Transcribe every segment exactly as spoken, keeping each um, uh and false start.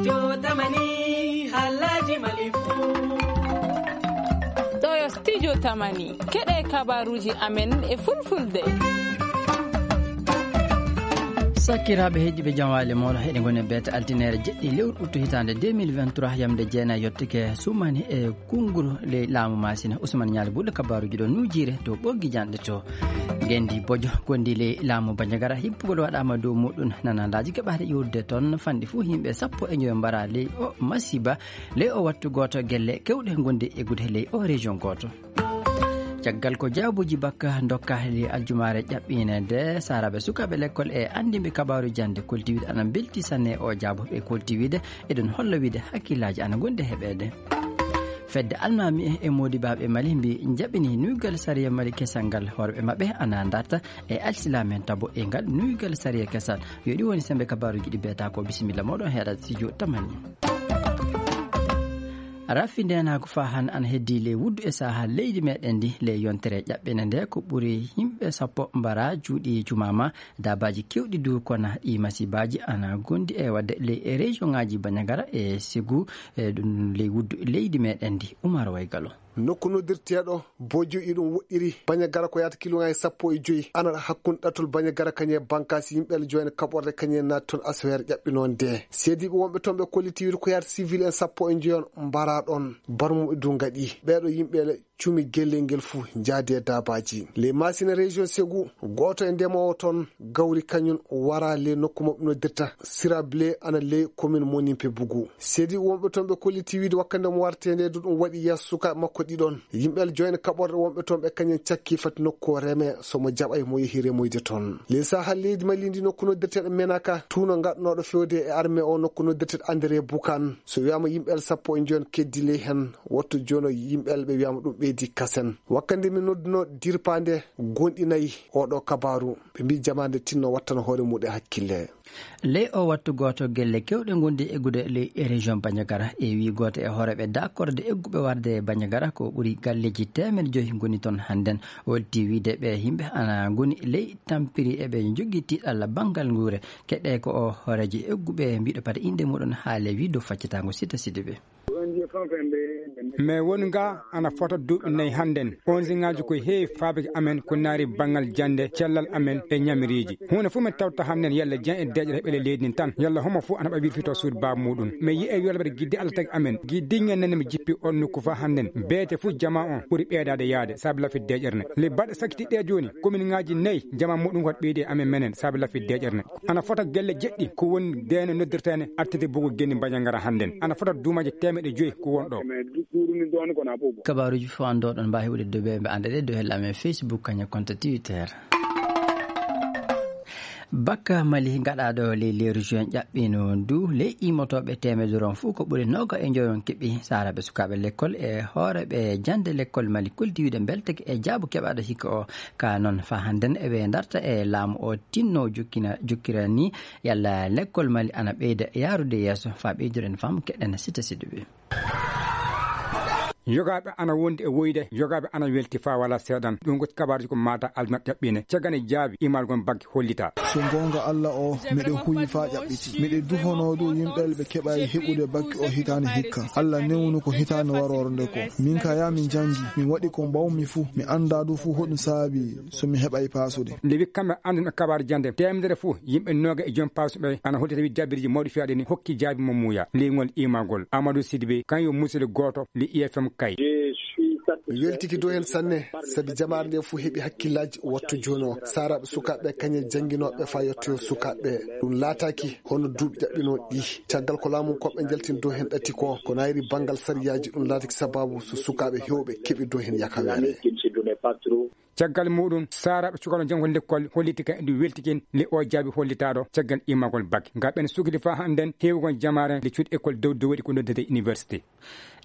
Studio Tamani, haalaaji Mali fuu. Ɗoo yo Studio Tamani, keɗee kabaaruuji amen e Fulfulde. Sakiraaɓe heɗiiɓe, jam waali mooɗon. Eɗen ngoni e beete altineere jeɗɗi lewru uttu hitaande deux mille vingt-trois, yamnde jeenayi yottike, suumani e konnguru ley laamu Maasina. Usman Ñaali Buuɗo, kabaaruuji ɗoo nuujiire to Ɓoggi Janɗe to Ngenndi Bojo, gonndi ley laamu Banjagara. Hippugol waɗaama dow muuɗum, nanandaaji keɓaade iwrude toon fanɗi fuu yimɓe sappo e joyo mbaraa ley oo masiiba, ley oo wattu gooto gelle keewɗe ngonndi eggude ley oo région gooto. Caggal ko jaabuuji bakka ndokkaa ley aljumaare ƴaɓɓiinde ndee, saaraaɓe sukaaɓe lekkol e anndinɓe kabaaru jannde kolti wiide ana mbeltii sanne e oo jaabu. Ɓe kolti wiide eɗon holla wiide hakkillaaji ana ngonndi e heɓeede. Fedde almaami e moodibaaɓe Mali mbii njaɓinii nuuygal sariya Mali kesal ngal, hoore maɓɓe ana ndarta e alsilaam'en tabo e ngal nuuygal sariya kesal. Yo ɗi woni semmbe kabaaruuji ɗi beetaa ko. Bisimilla mooɗon heɗaade Studio Tamani. Rafi ndeenaagu faa hannde ana heddii ley wuddu e sahaa leydi meɗen ndi. Ley yontere ƴaɓɓiinde ndee ko ɓuri yimɓe sappo mbaraa, juuɗe jumaama. Daabaaji keewɗi duu kona. Ɗii masiibaaji ana ngonndi e waɗde ley e région ŋaaji Banjagara e Segu, e ɗum ley wuddu leydi meɗen ndi. Umar Waygalo. Nokku noddirteeɗo Bojo iɗum woɗɗiri Banjagara ko yaata kiloŋaaji sappo e joy, ana hakkunde ɗatal Banjagara kañum e bankaasi yimɓe Alla joine kaɓorɗe kañum en naati toon asaweere ƴaɓɓinoonde ndee. Seediiɓe wonɓe toon ɓe kolliti wiide ko yaata civil en sappo e joyo mbaraa ɗoon, barmuɓe duu ngaɗii. Ɓeeɗoo yimɓe cumi gellel ngel fuu, njaadi e daabaaji. Ley Maasina région Segu, gooto e ndemoowo toon gawri kañum waraa ley nokku mo ɓe noddirta Sirable, ana ley commune Monimpe Bugu. Seediiɓe wonɓe toon ɓe kolliti wiide wakkati nde mo wartee ndee duu ɗum waɗi yeeso sukaaɓe makko ɗiɗon. Yimɓe Alla joine kaɓorɗe wonɓe toon ɓe kañum cakkii fati nokku o remee, so mo jaɓay mo yehi remoyde toon. Ley sahaa leydi Mali ndi nokku noddirteeɗo Menaka, tuuno ngaɗanooɗo feewde e armée o nokku noddirteeɗo André Bukan. So wiyaama yimɓe Alla sappo e joyo keddii ley heen, wattu jooni o yimɓe Alla ɓe wiyaama ɗum ɓeydii kasen. Wakkati nde min noddunoo dirpaande goonɗinay oo ɗoo kabaaru, ɓe mbii jamaande tinno wattana hoore muuɗum hakkille. Ley oo wattu gooto gelle keewɗe ngonndi eggude ley région Banjagara. E wii gooto e hooreeɓe daakorde egguɓe warde Banjagara ko ɓuri galleeji teemedde joy ngoni toon hannden. O weltii wiide ɓee yimɓe ana ngoni ley tampiri eɓe njogii tiiɗalla banngal nguure. Keɗee ko oo hooreejo egguɓe mbiiɗo pata innde muuɗum haale wii dow faccitaango Sita Sidibe. Mais woni nga ana fota duuɓi nayi hannden. Onziŋaaji ko heewi faabike amen ko naari banngal jannde cellal amen e ñamiriiji. Huunde fof min tawta hannden yalla jan e deeƴere heɓele leydi ndin tan, yalla homo fof ana ɓa wirfito suudu baaba muuɗum. Mi yi'e yolbere gidde Allah tagi amen. Gi diŋŋe nani mi jippi on nokku faa hannden. Beete fof jamaa on ɓuri ɓeydaade yaade saabi lafit deeƴere ne. Le baɗɗe sakkiti ɗe jooni, kominŋaaji nayi jamaa muuɗum waɗi ɓeydi e amen menen saabi lafit deeƴere ne. Ana fota gelle jeɗɗi ko woni deene noddirteene artirde bugu genni Mbañangara hannden. Ana fota duumaaji teemeɗɗe joy ko won ɗo. Kabaaruuji fof an ɗo ɗon mbaawi heɓude dow ɓe ɓe annda ɗe dow hella amen Facebook kañum konto Twitter. Bakka Mali gaɗaaɗo ley leeru juin ƴaɓɓiino ndu ley immotooɓe teemedere on fof ko ɓuri nooga e njoyon keɓi saaraaɓe sukaaɓe lekkol e hooreeɓe jannde lekkol Mali kuldi wiide mbelteke e jaabu keɓaaɗo hikka o. Ka noon faa hannden eɓe ndarta e laamu o tinno jokkina jokkira ni yalla lekkol Mali ana ɓeyda yaarude yeeso faa ɓeyduren faamu keɗen Sita Sidibe. Yogaaɓe ana wondi e woyde, yogaaɓe ana welti faa walaa seeɗan. Ɗum ko kabaaruuji ko maata aljumat ƴaɓɓiinde. Caggal e jaabi imalgol bakke hollitaa. So goonga Alla o, miɗo huuyi faa ƴaɓɓiti. Miɗo duhonoo dow yimɓe ɓe keɓaay heɓude bakke o hitaande hikka. Alla newnu ko hitaande waroore nde ko. Min ka yaa min janngi, min waɗi ko mbaawmi fuu. Mi anndaa du fuu hoɗum saabi so mi heɓaay paasude. Nde wi kamɓe annduɓe kabaaru jannde, teemedere fuu yimɓe nooga e joom paasuɓe ana holti tawi jabiriji mawɗi fiyaaɗi ni hokki jaabi mo muuya. Leyngol imagol. Amadou Sidibé, kañum yo musidɗo gooto li I F M Kay. Mi weltike dow heen sanne, sabi jamaare nde fof heɓi hakkillaaji wattu jooni o. Saaraaɓe sukaaɓe kañe jannginooɓe faa yettoyo sukaaɓe. Ɗum laataaki hono duuɓi ƴaɓɓinooɗi ɗi. Caggal ko laamu koɓɓe njaltini dow heen ɗati ko, ko naayri banngal sariyaaji, ɗum laataki sabaabu so sukaaɓe heewɓe keɓi dow heen yakaweere. Caggal muuɗum, saaraaɓe cukalon janngol lekkol holliti ka e ndu weltikin le o jaabi hollitaaɗo caggal immagol bak. Nga ɓen sukli faa hannden heewugol jamaare le cuuɗi ekkol dow dow waɗi ko noddetee université.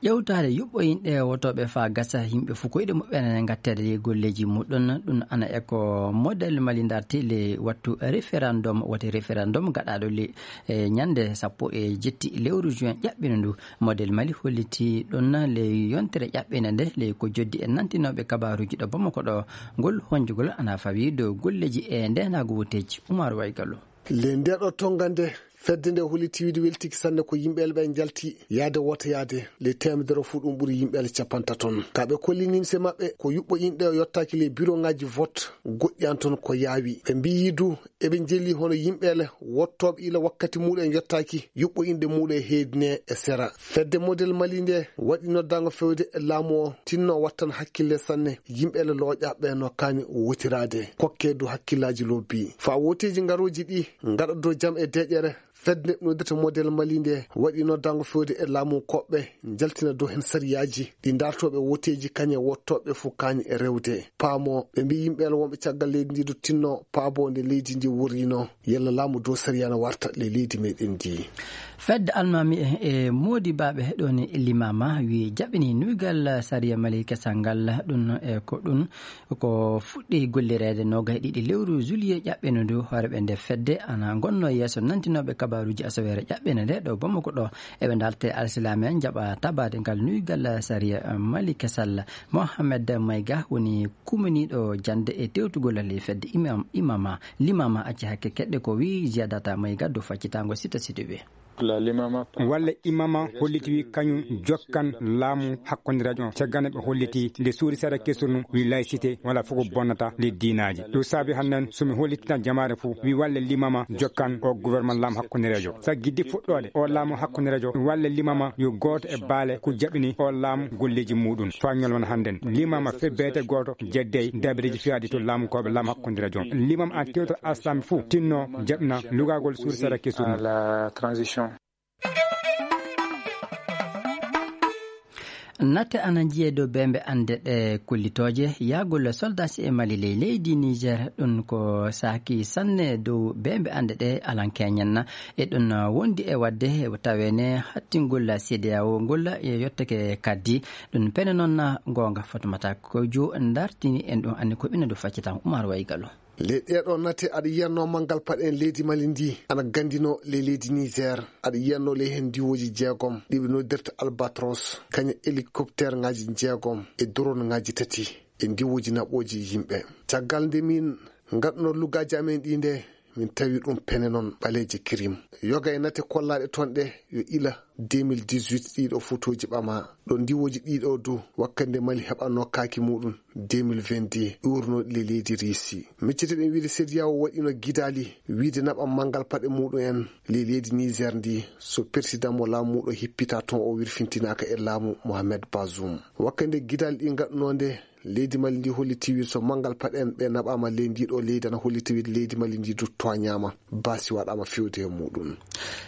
Ƴewtaade yuɓɓo yimɓe wotooɓe faa gasa yimɓe fof koyɗe muɓɓen ngatteede e golleeji muɗum, ɗum ana e ko model Mali ndarti le wattu référendum, wote référendum gaɗaaɗo le, e ñannde sappo e jetti lewru juin ƴaɓɓino ndu. Model Mali hollitii ɗum le yontere ƴaɓɓinde nde le ko joddi e nantinooɓe kabaaruuji ɗo Bamako ɗo. Ngol honjugol ana fawii dow golleeji e ndeenaagu wotteeji. Umar Waygallo. Le ndeeɗo tonngande Fedde nde hollitii wiide weltiike sanne ko yimɓeele ɓe njalti yaade wotoyaade. Ley teemedere fuu ɗum ɓuri yimɓeele capantato. Ka ɓe kolli nimse maɓɓe ko yuɓɓo inɗe o yottaaki ley biroŋaaji vot goɗɗi an toon ko yaawi. Ɓe mbiyi du eɓe njeli hono yimɓeele wottooɓe ila wakkati muuɗum en yottaaki, yuɓɓo inɗe muuɗum e heedine e sera. Fedde Model Mali nde waɗi noddaango fewde e laamu o tinno wattan hakkille sanne yimɓeele looƴaaɓe no kaani wotiraade. Kokkee du hakkillaaji lobbi. Faa wooteeji ngarooji ɗi ngaɗa dow jam e deeƴere. Fedde noddirte Model Mali nde waɗi noddaango fewde e laamu koɓɓe njaltina dow heen sariyaaji ɗi daartooɓe wooteeji kañe wottooɓe fof kaani e rewde. Paamoo, ɓe mbii yimɓe wonɓe caggal leydi ndi ɗo tinno paaboo nde leydi ndi worrino. Yalla laamu dow sariya na warta le leydi meɗen ndi. Fedde almaami e, e moodi baaɓe ɗoon e limaama wi jaɓini nuygal sariya Mali kesal ngal ɗum e ko ɗum Ko fuɗɗi gollireede noogay ɗiɗi lewru juillet ƴaɓɓino ndu, hooreeɓe nde fedde ana ngonnoo yeeso nantinooɓe kabaaruuji asaweere ƴaɓɓino nde ɗo Bamako ɗo. Eɓe ndaaltee alsilaame en njaɓa tabaade ngal nuygal sariya Mali kesal. Mohamed Mayga woni kuminiiɗo jannde e tewtugol ley fedde imam, imama, limama acci hakke keɗɗe ko wii Ziyadata Mayga dow faccitaango Sita Sidibe. Walla imama holliti wi kañum jokkan laamu hakkondireejo on. Caggal nde ɓe holliti nde suuri seeɗa kesul mum wi laïcité wala fof ko bonnata ley diinaaji. Ɗum saabi hannden so mi hollitina jamaare fof wi walla limama jokkan o gouvernement laamu hakkondireejo. Sabu giddi fuɗɗoode o laamu hakkondireejo walla limama yo gooto e baale ko jaɓini o laamu golleeji muuɗum. Faa ñalawma hannden limama fe beete gooto jeddey dabireeji fiyaaɗi to laamu kooɓe laamu hakkondireejo on. Limam an tewtata alsami fof tinno jaɓna lugagol suuri seeɗa kesul mum. Natte ana njiyee dow beembe annde ɗe kollitooje yahgol soldaasi e Mali ley leydi Niger. Ɗum ko saaki sanne dow beembe annde ɗe alankeeñen. E ɗum wondi e waɗde taweene hattingol C D A O ngol e yottake kaddi. Ɗum pene noon goonga Fatumata Kojo ndartini en ɗum anni ko ɓinna ɗo faccitan Umar Waygalo. Ley ɗee ɗoo nate, aɗa yiyannoo manngal paɗe en leydi Mali ndii ana ganndinoo ley leydi Niger. Aɗa yiyannoo ley heen ndiwooji jeegom ɗi ɓe noddirta Albatros, kañum e hélicoptère ŋaaji jeegom e drone ŋaaji tati e ndiwooji naɓooji yimɓe. Caggal nde min ngaɗnoo luggaaji amen ɗii ndee, min tawi ɗum pene noon ɓaleeje kirim. Yoga e nate kollaaɗe toon ɗee yo ila deux mille dix-huit ɗii ɗoo fotooji ɓamaa. Ɗo ndiwooji ɗii ɗoo du, wakkati nde Mali heɓannoo kaaki muuɗum, deux mille vingt-deux, ƴuurnooɗi le leydi Riisi. Miccete ɗen wiide C D A O waɗiino gidaali wiide naɓan manngal paɗe muuɗum en le leydi Niger ndii, so persidan mo laamu muuɗum hippitaa toon o wirfintinaaka e laamu Mohamed Bazoum. Wakkati nde gidaali ɗii ngaɗunoo nde, leydi Mali ndii hollitii wiide so manngal paɗe en ɓee naɓaama ley ndii ɗoo leydi, ana hollitii wiide leydi Mali ndii du tooñaama. Baasi waɗaama fewde e muuɗum.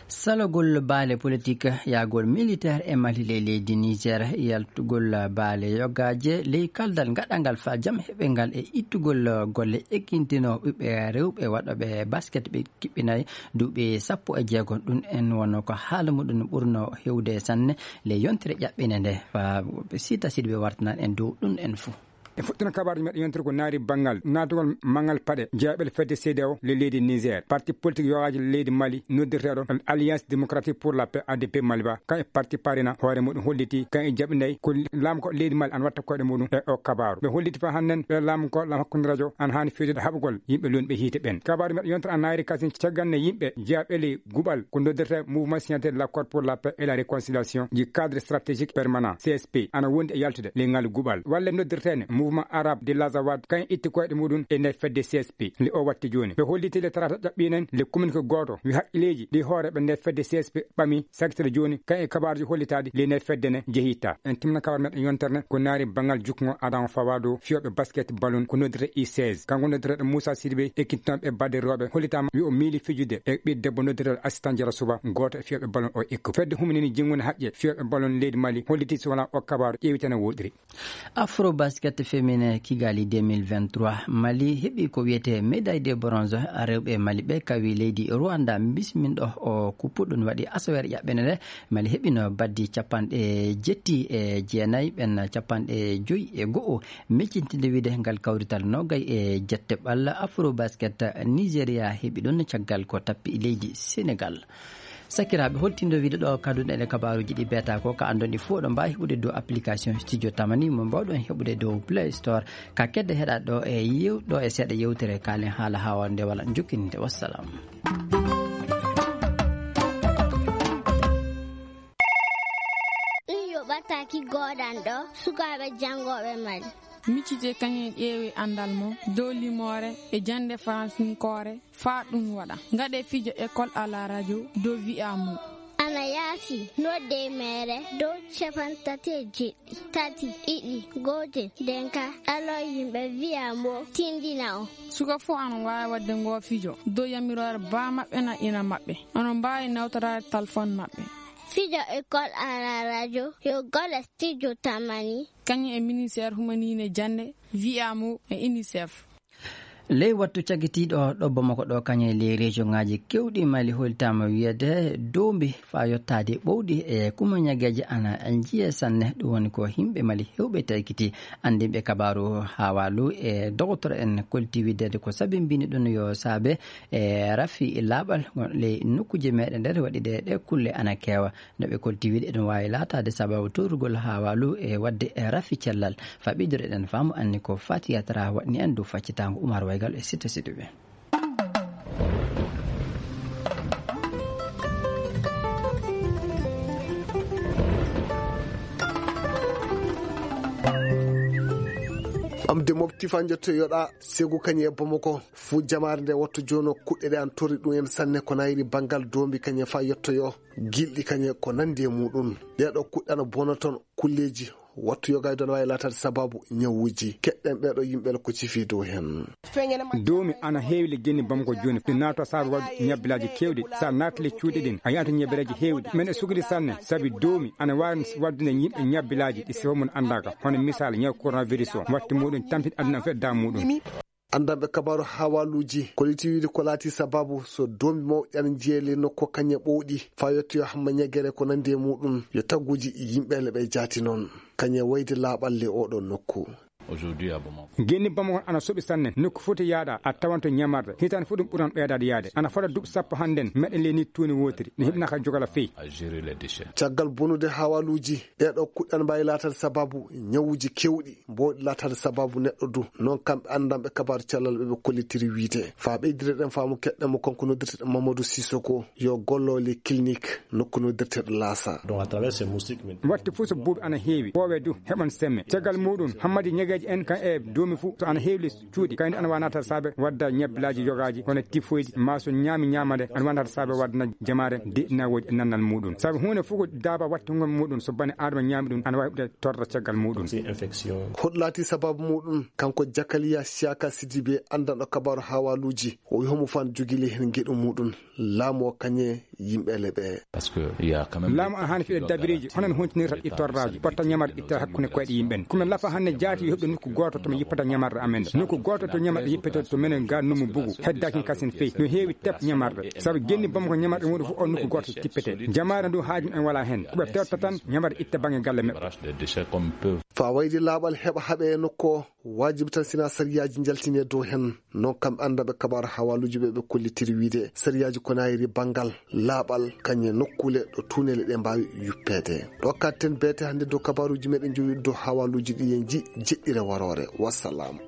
Salogol baale politik, yahgol militeer e Mali ley leydi Niger, yaltugol baale yogaaje ley kaldal gaɗangal faa jam heɓe ngal e ittugol golle ekkintinoo ɓiɓɓe rewɓe waɗooɓe basket ɓe kiɓɓinay duuɓi sappo e jeegom. Ɗum en wonnoo ko haala muɗum ɓurnoo heewde sanne ley yontere ƴaɓɓinde nde faa Sita Sidibe wartanan en dow ɗum en fuu. E fuɗɗoode kabaaruuji meɗen yontere ko naati banngal naatugol manngal paɗe jeeɓel fedde C D A O le leydi Niger. Parti politik yogaaji leydi Mali noddirteeɗo Alliance Démocratique pour la Paix, A D P Mali ba, kan e parti parina hoore muɗum holliti kan e jaɓinay ko laamu ko leydi Mali ana watta koyɗe muɗum e o kabaaru. Ɓe holliti faa hannden ɓe laamu ko laamu hakkunde radio ana haani fewjude haɓugol yimɓe lonɓe hiite ɓen. Kabaaru meɗen yontere ana naati kasin caggal nde yimɓe jeeɓeli guɓal ko noddirtee Mouvement Signature de l'Accord pour la Paix et la Réconciliation du Cadre Stratégique Permanent, C S P, ana wondi e yaltude le ngal guɓal. Walle noddirteene Mouvement Arabe de l'Azawad, kañum itti koyɗe muɗum e nder fedde C S P. Le o watti jooni. Ɓe holliti le talaata ƴaɓɓiiɗen le communiqué gooto wi haqqileeji ɗi hooreeɓe nder fedde C S P ɓami sakitere jooni, kañum e kabaaruuji hollitaaɗi le nder fedde ne jeyitaa. En timna kabaaru meɗen yontere ne ko naati banngal jukkungo adan fawaado fiyooɓe basket balon ko noddirtee U seize. Kanko noddirteeɗo Moussa Sidibé, ekkitinooɓe baɗde rewɓe, hollitaama wi o miili fijude e ɓiɗɗo debbo noddirteeɗo Assistant Jara Suba, gooto e fiyooɓe balon o ekku. Fedde huminini jinngunde haqqe fiyooɓe balon leydi Mali holliti so wanaa o kabaaru ƴeewitene woɗɗiri. Afrobasket féminin Kigali deux mille vingt-trois, Mali heɓi ko wiyetee médaille de bronze. Rewɓe Mali ɓe kawi leydi Rwanda bisminɗo o kuppu. Ɗum waɗi asaweere ƴaɓɓende nde Mali heɓino baddi capanɗe jetti e jeenayi, ɓen capanɗe joyi e go'o. Miccitinde wiide ngal kawrital noogay e jette ɓalla Afrobasket Nigeria heɓi ɗum caggal ko tappi leydi Senegal. Sakiraaɓe, holtindo wiide ɗo kaduɗen e kabaaruuji ɗi beetaa ko, ka anndon ɗi fof ɗo mbaawi heɓude dow application Studio Tamani mo mbaawɗon heɓude dow Play Store. Ka kedde heɗaa ɗo e yew-, ɗo e seeɗa yewtere kaalen haala haa nde wala jokkininde. Wassalam. Aki goodanɗo sukaaɓe janngooɓe Mali. Miccitee kañum e ƴeewee anndal mon dow limoore e jaŋde faransinkoore faa ɗum waɗa. Ngaɗee fijo École à la radio dow V I A Mo. Ana yaafi, noddee meere dow cappanɗe tati e jeɗɗi, tati, ɗiɗi, gootel, nden kaa ɗalon yimɓe V I A Mo tinndina on. Suka fuu ana waawi waɗde ngoo fijo dow yamiroore baa maɓɓe naa ina maɓɓe. Onon mbaawi nawtoraade telefoŋ maɓɓe. Fijo École à la radio yo golle Studio Tamani. Kañum e Ministeer Humaniine Jannde, V I A Mo e UNICEF. Ley wattu cagitiiɗo ɗo Bamako ɗo, kañum e ley rejoŋaaji keewɗi Mali, hollitaama wiyeede doombi faa yottaade ɓowɗi e kuma ñageeje ana njiyee sanne. Ɗum woni ko yimɓe Mali heewɓe taykiti. Anndinɓe kabaaru Hawalu e dogotoro en kolti wiyeede ko sabi mbini ɗum yo saabe e rafi laaɓal ley nokkuuje meeɗen nder waɗi ɗe, ɗe kulle ana keewa. No ɓe kolti wiide, eɗum waawi laataade sabaabu tuurugol Hawalu e waɗde rafi cellal. Faa ɓeydoreɗen faamu, anni ko Fatiya Tara waɗni en dow faccitaango Umar Waygal e Sitta Siduɓe. Am de mofti faa njottoyoɗaa, segu kañe e Bamako. Fuu jamaare nde wattu jooni, kuɗɗe ɗe ana torri ɗum en sanne, ko naayiri banngal doombi kañe faa yottoyoo. Gilɗi kañe ko nanndi e muuɗum. Ɗee ɗoo kuɗɗe ana bona toon kulleeji. Wattu yoga e dow ana waawi laataade sabaabu ñawuuji. Keɗɗen ɓee ɗoo yimɓe ko cifi dow heen. Doomi ana heewi le genni Bamako jooni. Ɗi naata sabaabu waɗde ñabbilaaji keewɗi. So a naati le cuuɗi ɗin, a yi'ata ñabbilaaji heewɗi. Men e sukli sanne, sabi doomi ana waawi waɗde yimɓe ñabbilaaji ɗi sifo mum anndaaka. Hono misaal, ñaw coronavirus o, watti muuɗum tampiti aduna fof e daamu muuɗum. Anndanɓe kabaaru hawaluuji kolliti wiide ko laati sabaabu so doombi mawɗi ana njiyee ley nokku kañe ɓowɗi, faa yottoyoo hamma ñagere ko nanndi e muuɗum, yo tagguuji yimɓe leɓe jaati noon, kañe wayde laaɓal ley oo ɗoo nokku. Aujourd'hui, à Bamako. Genni Bamako ana soɓi sanne, nokku foti yaaɗa, a tawan to ñamarde. Hitaande fof ɗum ɓuran ɓeydaade yaade. Ana fota duuɓi sappo hannden, meɗen ley nii tuuni wootiri. Ne heɓi naka jogala fey. À gérer les déchets. Caggal bonude hawaluuji, ɗee ɗoo kuɗɗe ana mbaawi laataade sabaabu ñawuuji keewɗi. Mboɗi laataade sabaabu neɗɗo du. Noon kamɓe anndanɓe kabaaru cellal ɓe ɓe kollitiri wiide. Faa ɓeydire ɗen faamu keɗɗen mo kanko noddirteɗo Mamadou Sissoko yo gollo le clinique nokku noddirteɗo Laasa. Donc, à travers ces moustiques, maintenant, watti fof so buubi ana heewi, poowe du heɓan semme. Caggal muuɗum, hammadi ñageeji en kan e doomi fof so ana heewi le cuuɗi. Kayndi ana waawi naataade saabe wadda ñabbilaaji yogaaji, hono tifoydi, maa so ñaami ñaamande, ana waawi naataade saabe wadda jamaare deɗinawooji e nannal muuɗum. Sabi huunde fof ko daaba wattungol muuɗum, so bane aadama ñaami ɗum, ana waawi heɓde torra caggal muuɗum. Aussi infection. Hoɗum laati sabaabu muuɗum? Kanko Jakaliya Siyaka Sidibe, anndanɗo kabaaru hawaluuji, o wi homo faan jogii ley heen ngeɗu muuɗum, laamu o kañe yimɓe leɓe. Parce que il y a quand même. Laamu ana haani fiɗe dabireeji, hono no huntinirat ɗi torraaji, potta ñamarɗe itta hakkunde koyɗe yimɓe en. Ko men lafa hannde jaati yo heɓde nokku gooto to men yippata ñamarɗe amen ɗe. Nokku gooto to ñamarɗe yippete to menen ga Numu Bugu, heddaaki kasen fey. No heewi tep ñamarɗe. Sabu genni Bamako ñamarɗe muɗum fof on nokku gooto tippete. Jamaare ndu haaju en wala heen. Ko ɓe pewta tan ñamarɗe itta bange galle meɓɓe. Faa wayde laaɓal heɓa haɓe e nokku o, waajibi tan sina sariyaaji njaltinee dow heen. Noon kamɓe anndanɓe kabaaru hawaluuji ɓe ɓe kollitiri wiide sariyaaji ko naayiri banngal laaɓal kañe nokkuule ɗo tuuneele ɗe mbaawi yuppeede. Ɗo katten beete hannde dow kabaaruuji meɗen jowi dow hawaluuji ɗi en ji jeɗɗire waroore. Wassalam.